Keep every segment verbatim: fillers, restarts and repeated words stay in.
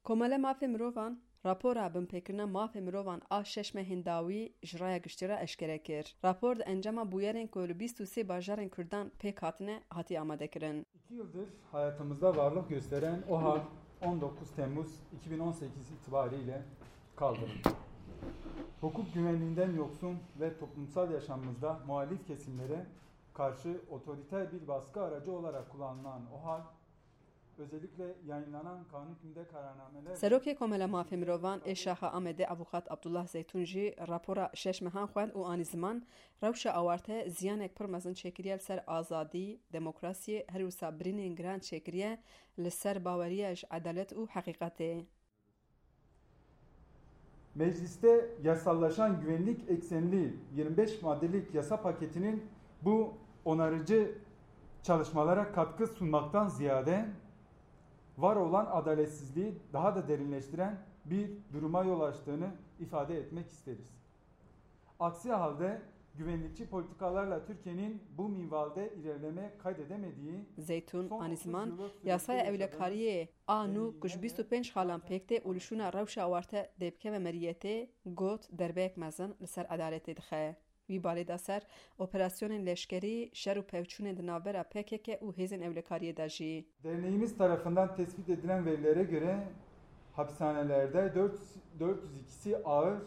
Komele Mafê Mirovan rapora binpêkirina mafê mirovan a şeş mehên dawî ji raya giştî re eşkere kir. Rapor di encama bûyerên ku li bîst û sê bajarên Kurdan pêk hatine, hatiye amadekirin. İki yıldır hayatımızda varlık gösteren OHAL on dokuz Temmuz iki bin on sekiz itibariyle kaldırıldı. Hukuk güvenliğinden yoksun ve toplumsal yaşamımızda muhalif kesimlere karşı otoriter bir baskı aracı olarak kullanılan OHAL, özellikle yayınlanan kanun hükmünde kararnameler Serokê Komela Mafê Mirovan ê Şaxa Amedê Avûkat Abdullah Zeytun jî rapora şeş mehan xwend û anî ziman, rewşa awarte ziyanek pir mezin çêkiriye li ser azadî, demokrasiyê, her wisa birînên giran çêkiriye li ser baweriya ji edalet û heqîqetê. Mecliste yasallaşan güvenlik eksenli yirmi beş maddelik yasa paketinin bu onarıcı çalışmalara katkı sunmaktan ziyade var olan adaletsizliği daha da derinleştiren bir duruma yol açtığını ifade etmek isteriz. Aksi halde güvenlikçi politikalarla Türkiye'nin bu minvalde ilerleme kaydedemediği Zeytun anî ziman, yasaya ewlekariyê a nû ku ji bîst û pênc xalan pêk tê û li şûna rewşa awarte dê bikeve meriyetê, got derbeyek mezin li ser edaletê dixe. Wî balê da ser operasyonên leşkerî, şer û pevçûnên di navbera P K K û hêzên ewlekariyê de jî. Derneğimiz tarafından tespit edilen verilere göre hapishanelerde dört, dört yüz ikisi ağır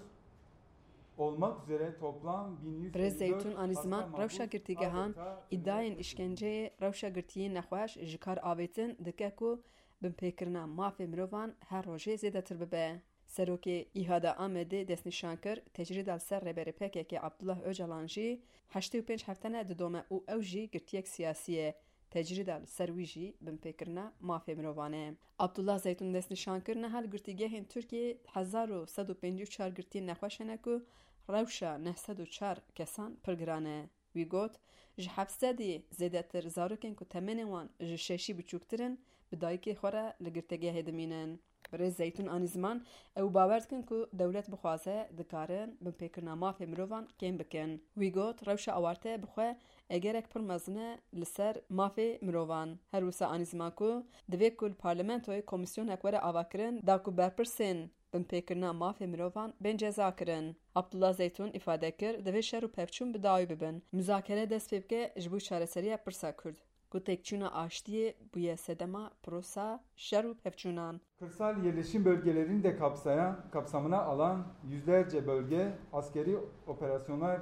olmak üzere toplam bin yüz elli dört Birêz Zeytun anî ziman rewşa girtîgehan îdayên îşkenceyê, rewşa girtiyên nexweş ji kar avêtin dike ku binpêkirina mafê mirovan her rojê zêdetir bibe. Serokê Îhada Amedê destnîşan kir, tecrîda li ser Rêberê P K K Abdullah Ocalan jî heştê û pênc hefte ne didome û ew jî girtiyek siyasî ye. Tecrîda li ser wî jî binpêkirina mafê mirovan e. Abdullah Zeytun destnîşan kir, niha li girtîgehên Tirkiyeyê hezar û sed û pêncî û çar girtiyên nexweş hene ku rewşa neh sed û çar kesan pir giran e. Wî got, ji heft sedî zêdetir zarokên ku temenên wan ji şeşî biçûktir in, bi dayikê xwe re li girtîgehê dimînin. Birêz Zeytun anî ziman, ew bawer dikin ku dewlet bixwaze, dikarin binpêkirina mafê mirovan kêm bikin. Wî got, rewşa awarte bi xwe egerek pir mezin e li ser mafê mirovan. Her wisa anî ziman ku divê ku li parlamentoyê komîsyonek were avakirin, da ku berpirsên binpêkirina mafê mirovan bên cezakirin. Abdullah Zeytun îfade kir, divê şer û pevçûn bi dawî bibin. Muzakere dest pê bike ji bo çareseriya pirsa Kurd, ku têkçûna aştiyê bûye sedema pirosa şer û pevçûnan. Kırsal yerleşim bölgelerini de kapsayan, kapsamına alan yüzlerce bölge askeri operasyonlar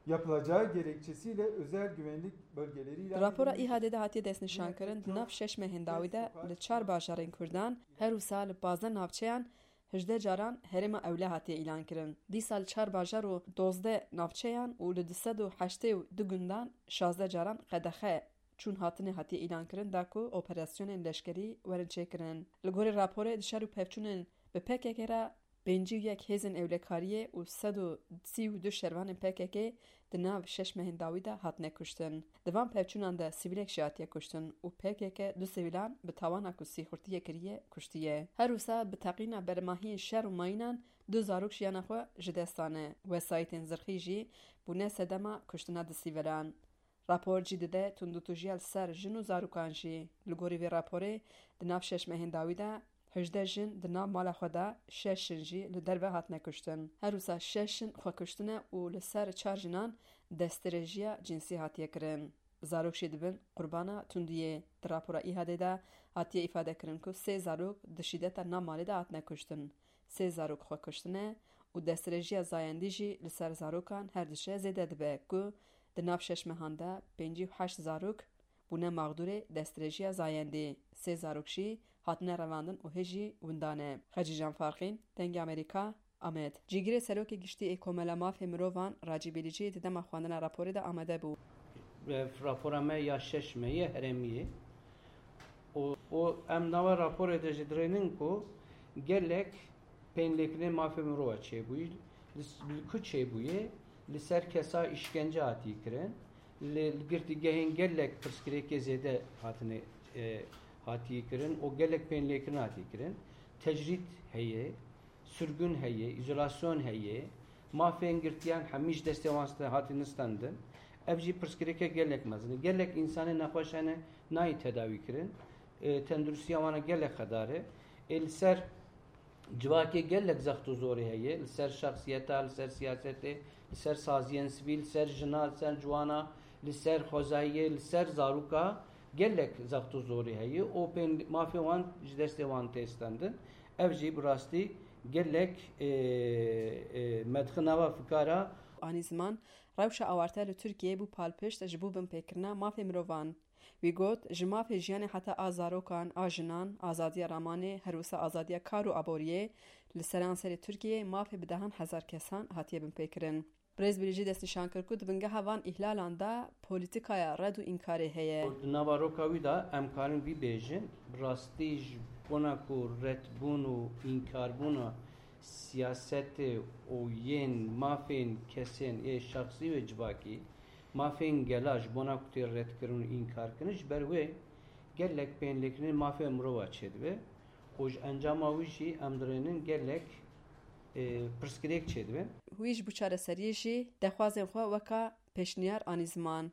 yapılacağı gerekçesiyle özel güvenlik bölgeleri ilan Di rapora edilmiş. Îhadê de hatiye destnîşankirin, di nav şeş mehên dawî de li çar bajarên Kurdan, her wisa li pazdeh navçeyan hejdeh caran herêma ewle hatiye îlankirin. Dîsa li çar bajar û dozdeh navçeyan û li du sed û heştê û du gundan şazdeh caran qedexe çûn hatinê hatiye îlankirin, da ku operasyonên leşkerî werin çêkirin. Li gorî raporê, di şer û pevçûnên bi P K K re pêncî û yek hêzên ewlekariyê û sed û sî û du şervanên P K K di nav şeş mehên dawî de hatine kuştin. Di van pevçûnan de sivîlek jî hatiye kuştin û P K K du sivîlan bi tawana ku sîxurtiyê kiriye, kuştiye. Her wisa bi teqîna bermahiyên şer û mayînan du zarok jiyana xwe ji dest dane. Wesayîtên zirxî jî bûne sedema kuştina du sivîlan. Rapor cî dide tundûtûjiya li ser jin û zarokan jî. Li gorî vê raporê, di nav şeş mehên dawî de hejdeh jin di nav mala xwe de, şeş jin jî li derve hatine kuştin. Her wisa şeş jin xwe kuştine û li ser çar jinan destdirêjiya cinsî hatiye kirin. Zarok jî dibin qurbana tundiyê. Di rapora Îhadê de hatiye îfadekirin ku sê zarok di şîdeta nav malê de hatine kuştin. Sê zarok xwe kuştine û destdirêjiya zayendî jî li ser zarokan her diçe zêde dibe ku di nav şeş mehan de pêncî û heşt zarok bûne maxdûrê destdirêjiya zayendî. Sê zarok jî hatine revandin û hê jî winda ne. Xecîcan Farqîn, Dengê Amerîka, Amed. Cîgirê Serokê Giştî ê Komela Mafê Mirovan, Racî Bilîcî, di dema xwendina raporê de amade bû. Ev rapora me ya şeş me ye, herêmî ye. Û, û em nava raporê de jî dirênin ku gelek pênlêkirinê mafê mirova çêbûyî, li, li ku çêbûye, li ser kesa îşkence hatî kirin, li, li girtîgehên gelek pirsgirêkê zêde hatine, e, hatî kirin û gelek pênlêkirin hatî kirin. Tecrîd heye, sürgün heye, îzolasyon heye, mafên girtiyan hemî ji destê wan ste-, hatine standin. Ev jî pirsgirêke gelek mezin e. Gelek însanê nexweş hene nayê tedawî kirin. E, tenduristiya wan a gelek xedar e. Ê li ser civakê gelek zext û zorê heye, li ser şexsiyeta, li ser siyasetê, li ser saziyên sivîl, li ser jina, li ser ciwana, li ser xwezayiyê, li ser zaroka gelek zext û zorê heye û pên mafê wan ji destê wan tê stendin. Ev jî bi rastî gelek, e, e, medxina ve fikara. Anî ziman, rewşa awarte li Tirkiyeyê bû palpişt ji bo binpêkirina mafê mirovan. Wî got, ji mafê jiyanê heta a zarokan, a jinan, azadiya ramanê, her wisa azadiya kar û aboriyê, li seranserê Tirkiyeyê mafê bi dehan hezar kesan hatiye binpêkirin. Birêz Birîcî destnîşan kir ku di bingeha van îhlalan de polîtîkaya red û înkarê heye. Di nava roka wî de em karin vî bêjin, bi rastî ji bona ku redbûn û înkarbûna siyasetê û yên mafên kesên ê şexsî û civakî, mafên gela ji bona ku tê redkirin û înkarkirin, ji ber wê gelek pênlêkirinê mafê mirova çêdibe û ji encama wî jî em dirênin gelek, e, pirsgirêk çêdibin. Wî ji bo çareseriyê jî dexwazên xwe weka pêşniyar anî ziman.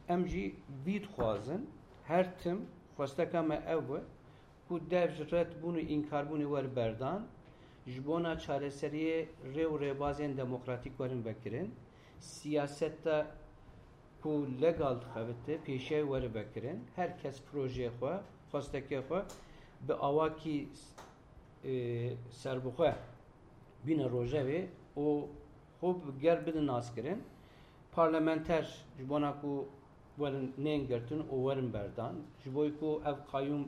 Em jî vî dixwazin, her tim xwesteka me ew e ku dev ji redbûn û înkarbûnê were berdan, ji bona çareseriyê rê û rêbazên demokratîk werin vekirin, siyaseta ku legal dixebite pêşiyayê were vekirin, her kes projeyê xwe, xwestekê xwe bi awakî, e, serbixwe bîne rojevê û xwe bi gel bidin naskirin. Parlamenter ji bona ku werin nên girtin û werin berdan, ji bo ku ev qayûm,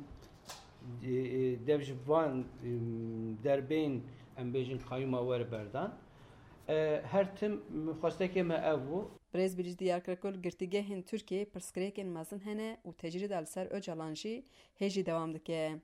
e, e, dev ji van, e, derbên, em bêjin, qayûma were berdan. E, her tim xwestekê me ev bû. Birêz Birîcî diyar kir ku li girtîgehên Tirkiyeyê pirsgirêkên mezin hene û tecrîda li ser Ocalan jî hê jî dewam dike.